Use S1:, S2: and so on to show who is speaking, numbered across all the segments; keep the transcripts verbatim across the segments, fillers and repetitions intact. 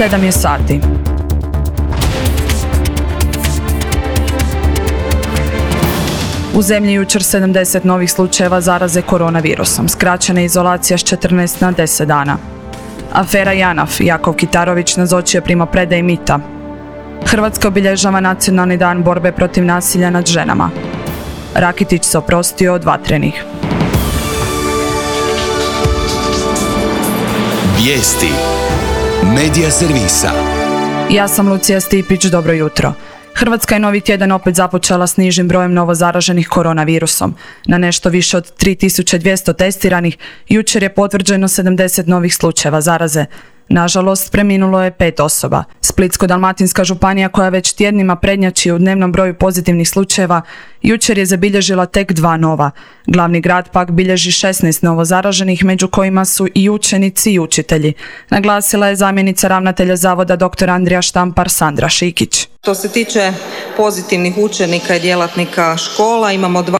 S1: sedam je sati. U zemlji jučer sedamdeset novih slučajeva zaraze koronavirusom, skraćena izolacija s četrnaest na deset dana. Afera JANAF, Jakov Kitarović nazočio primopredaji mita. Hrvatska obilježava Nacionalni dan borbe protiv nasilja nad ženama. Rakitić se oprostio od vatrenih.
S2: Vijesti Medija servisa.
S1: Ja sam Lucija Stipić, dobro jutro. Hrvatska je novi tjedan opet započela s nižim brojem novozaraženih koronavirusom. Na nešto više od tri tisuće dvjesto testiranih, jučer je potvrđeno sedamdeset novih slučajeva zaraze. Nažalost, preminulo je pet osoba. Splitsko-dalmatinska županija, koja već tjednima prednjači u dnevnom broju pozitivnih slučajeva, jučer je zabilježila tek dva nova. Glavni grad pak bilježi šesnaest novozaraženih, među kojima su i učenici i učitelji. Naglasila je zamjenica ravnatelja zavoda dr. Andrija Štampar Sandra Šikić.
S3: Što se tiče pozitivnih učenika i djelatnika škola, imamo dva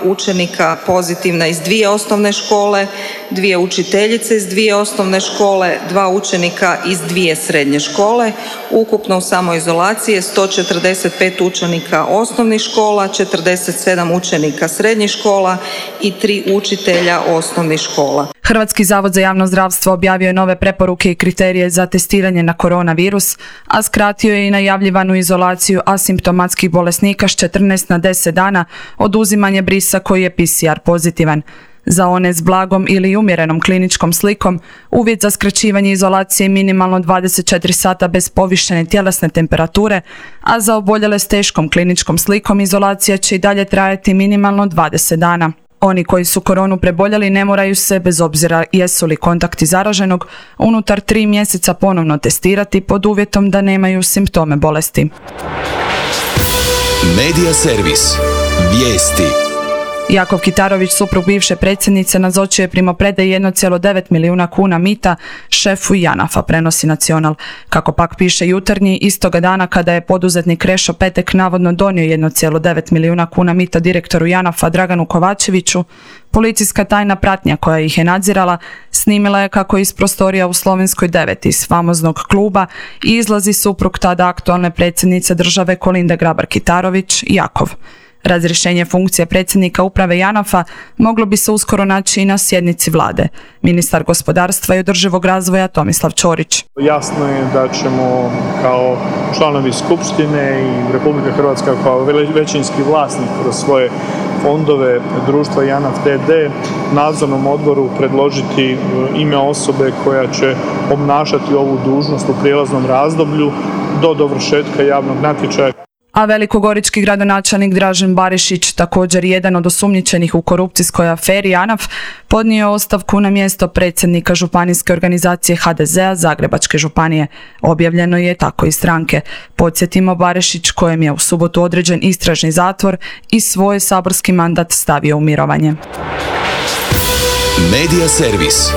S3: učenika pozitivna iz dvije osnovne škole, dvije učiteljice iz dvije osnovne škole, dva učenika iz dvije srednje škole. Ukupno u samoizolaciji je sto četrdeset pet učenika osnovnih škola, četrdeset sedam učenika srednjih škola i tri učitelja osnovnih škola.
S1: Hrvatski zavod za javno zdravstvo objavio je nove preporuke i kriterije za testiranje na koronavirus, a skratio je i najavljivanu izolaciju asimptomatskih bolesnika s četrnaest na deset dana, oduzimanje brisa koji je P C R pozitivan. Za one s blagom ili umjerenom kliničkom slikom, uvjet za skraćivanje izolacije je minimalno dvadeset četiri sata bez povišene tjelesne temperature, a za oboljele s teškom kliničkom slikom izolacija će i dalje trajati minimalno dvadeset dana. Oni koji su koronu preboljeli ne moraju se, bez obzira jesu li kontakti zaraženog, unutar tri mjeseca ponovno testirati pod uvjetom da nemaju simptome bolesti.
S2: Medija servis. Vijesti.
S1: Jakov Kitarović, suprug bivše predsjednice, nazočio je primopredaji jedan zarez devet milijuna kuna mita šefu JANAF-a, prenosi Nacional. Kako pak piše Jutarnji, istoga dana kada je poduzetnik Krešo Petek navodno donio jedan zarez devet milijuna kuna mita direktoru JANAF-a Draganu Kovačeviću, policijska tajna pratnja koja ih je nadzirala snimila je kako iz prostorija u Slovenskoj devet iz famoznog kluba izlazi suprug tada aktualne predsjednice države Kolinde Grabar-Kitarović, Jakov. Razrješenje funkcije predsjednika uprave JANAF-a moglo bi se uskoro naći i na sjednici vlade. Ministar gospodarstva i održivog razvoja Tomislav Ćorić.
S4: Jasno je da ćemo kao članovi Skupštine i Republika Hrvatska kao većinski vlasnik kroz svoje fondove društva JANAF d d nadzornom odboru predložiti ime osobe koja će obnašati ovu dužnost u prijelaznom razdoblju do dovršetka javnog natječaja.
S1: A velikogorički gradonačelnik Dražen Barišić, također jedan od osumnjičenih u korupcijskoj aferi JANAF, podnio ostavku na mjesto predsjednika županijske organizacije H D Z a Zagrebačke županije. Objavljeno je tako i stranke. Podsjetimo, Barišić, kojem je u subotu određen istražni zatvor, i svoj saborski mandat stavio u mirovanje.
S2: Medija servis.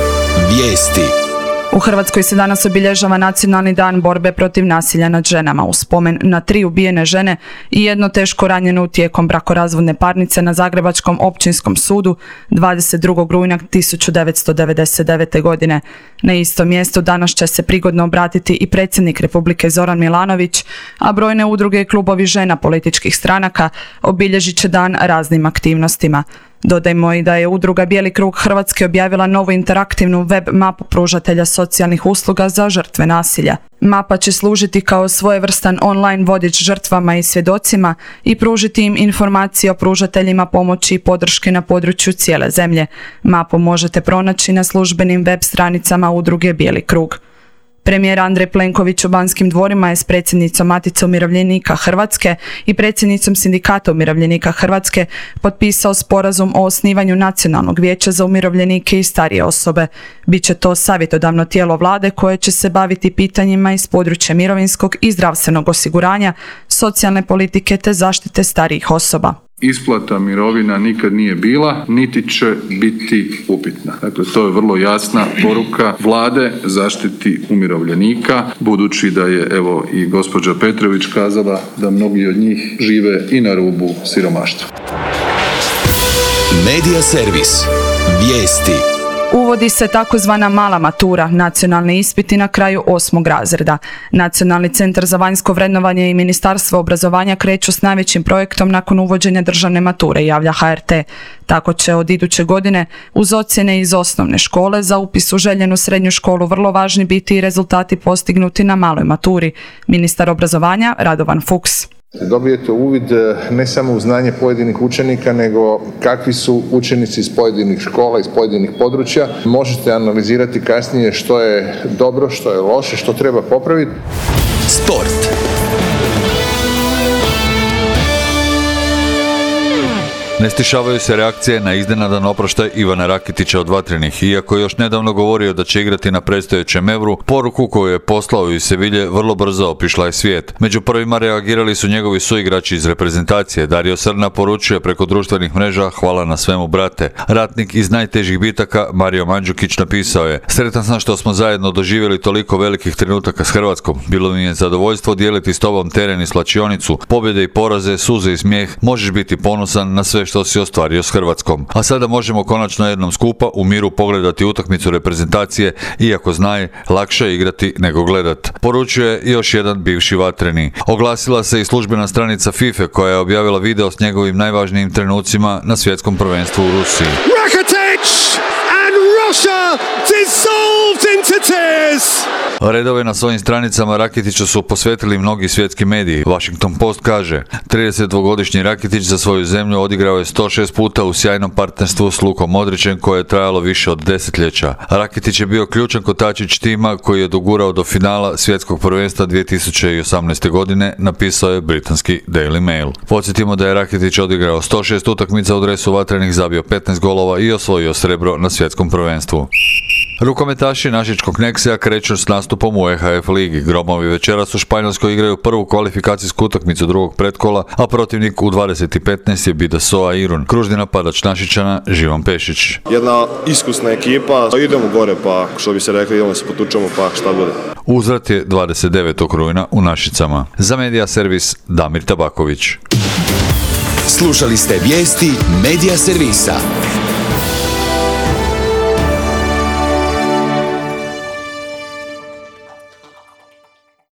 S2: Vijesti.
S1: U Hrvatskoj se danas obilježava Nacionalni dan borbe protiv nasilja nad ženama u spomen na tri ubijene žene i jedno teško ranjeno tijekom brakorazvodne parnice na Zagrebačkom općinskom sudu dvadeset drugog rujna tisuću devetsto devedeset devete. godine. Na istom mjestu danas će se prigodno obratiti i predsjednik Republike Zoran Milanović, a brojne udruge i klubovi žena političkih stranaka obilježit će dan raznim aktivnostima. Dodajmo i da je udruga Bijeli krug Hrvatske objavila novu interaktivnu web mapu pružatelja socijalnih usluga za žrtve nasilja. Mapa će služiti kao svojevrstan online vodič žrtvama i svjedocima i pružiti im informacije o pružateljima pomoći i podrške na području cijele zemlje. Mapu možete pronaći na službenim web stranicama udruge Bijeli krug. Premijer Andrej Plenković u Banskim dvorima je s predsjednicom Matice umirovljenika Hrvatske i predsjednicom Sindikata umirovljenika Hrvatske potpisao sporazum o osnivanju Nacionalnog vijeća za umirovljenike i starije osobe. Biće to savjetodavno tijelo vlade koje će se baviti pitanjima iz područja mirovinskog i zdravstvenog osiguranja, socijalne politike te zaštite starijih osoba.
S5: Isplata mirovina nikad nije bila, niti će biti upitna. Dakle, to je vrlo jasna poruka vlade zaštiti umirovljenika, budući da je, evo, i gospođa Petrović kazala da mnogi od njih žive i na rubu siromaštva.
S2: Medija servis. Vijesti.
S1: Uvodi se takozvana mala matura, nacionalni ispiti na kraju osmog razreda. Nacionalni centar za vanjsko vrednovanje i Ministarstvo obrazovanja kreću s najvećim projektom nakon uvođenja državne mature, javlja H R T. Tako će od iduće godine uz ocjene iz osnovne škole za upis u željenu srednju školu vrlo važni biti i rezultati postignuti na maloj maturi. Ministar obrazovanja Radovan Fuchs.
S6: Dobijete uvid ne samo u znanje pojedinih učenika, nego kakvi su učenici iz pojedinih škola, iz pojedinih područja. Možete analizirati kasnije što je dobro, što je loše, što treba popraviti.
S2: Sport.
S7: Ne stišavaju se reakcije na iznenadan oproštaj Ivana Rakitića od Vatrenih. Iako je još nedavno govorio da će igrati na predstojećem Evru, poruku koju je poslao iz Sevilje vrlo brzo opišla je svijet. Među prvima reagirali su njegovi suigrači iz reprezentacije. Dario Srna poručuje preko društvenih mreža: hvala na svemu, brate. Ratnik iz najtežih bitaka Mario Mandžukić napisao je: sretan sam što smo zajedno doživjeli toliko velikih trenutaka s Hrvatskom. Bilo mi je zadovoljstvo dijeliti s tobom teren i slačionicu, pobjede i poraze, suze i smijeh. Možeš biti ponosan na sve što si ostvario s Hrvatskom. A sada možemo konačno jednom skupa u miru pogledati utakmicu reprezentacije, iako znaj, lakše je igrati nego gledat. Poručuje još jedan bivši Vatreni. Oglasila se i službena stranica FIFA koja je objavila video s njegovim najvažnijim trenucima na svjetskom prvenstvu u Rusiji.
S8: Rakitic and Russia dissolved into tears.
S7: Redove na svojim stranicama Rakitića su posvetili mnogi svjetski mediji. Washington Post kaže: tridesetdvogodišnji Rakitić za svoju zemlju odigrao je sto šest puta u sjajnom partnerstvu s Lukom Modrićem koje je trajalo više od desetljeća. Rakitić je bio ključan kotačić tima koji je dogurao do finala svjetskog prvenstva dvije tisuće osamnaeste. godine, napisao je britanski Daily Mail. Podsjetimo da je Rakitić odigrao sto šest utakmica u dresu Vatrenih, zabio petnaest golova i osvojio srebro na svjetskom prvenstvu. Rukometaši našičkog Neksija kreću s nastupom u E H F ligi. Gromovi večeras u Španjolskoj igraju prvu kvalifikacijsku utakmicu drugog pretkola, a protivnik u dvadeset i petnaest je Bidasoa Irun. Kružni napadač Našičana Živan Pešić.
S9: Jedna iskusna ekipa, idemo gore pa što bi se rekli, idemo se potučemo pa šta bude.
S7: Uzvrat je dvadeset devetog rujna u Našicama. Za Medija Servis Damir Tabaković.
S2: Slušali ste vijesti Medija Servisa.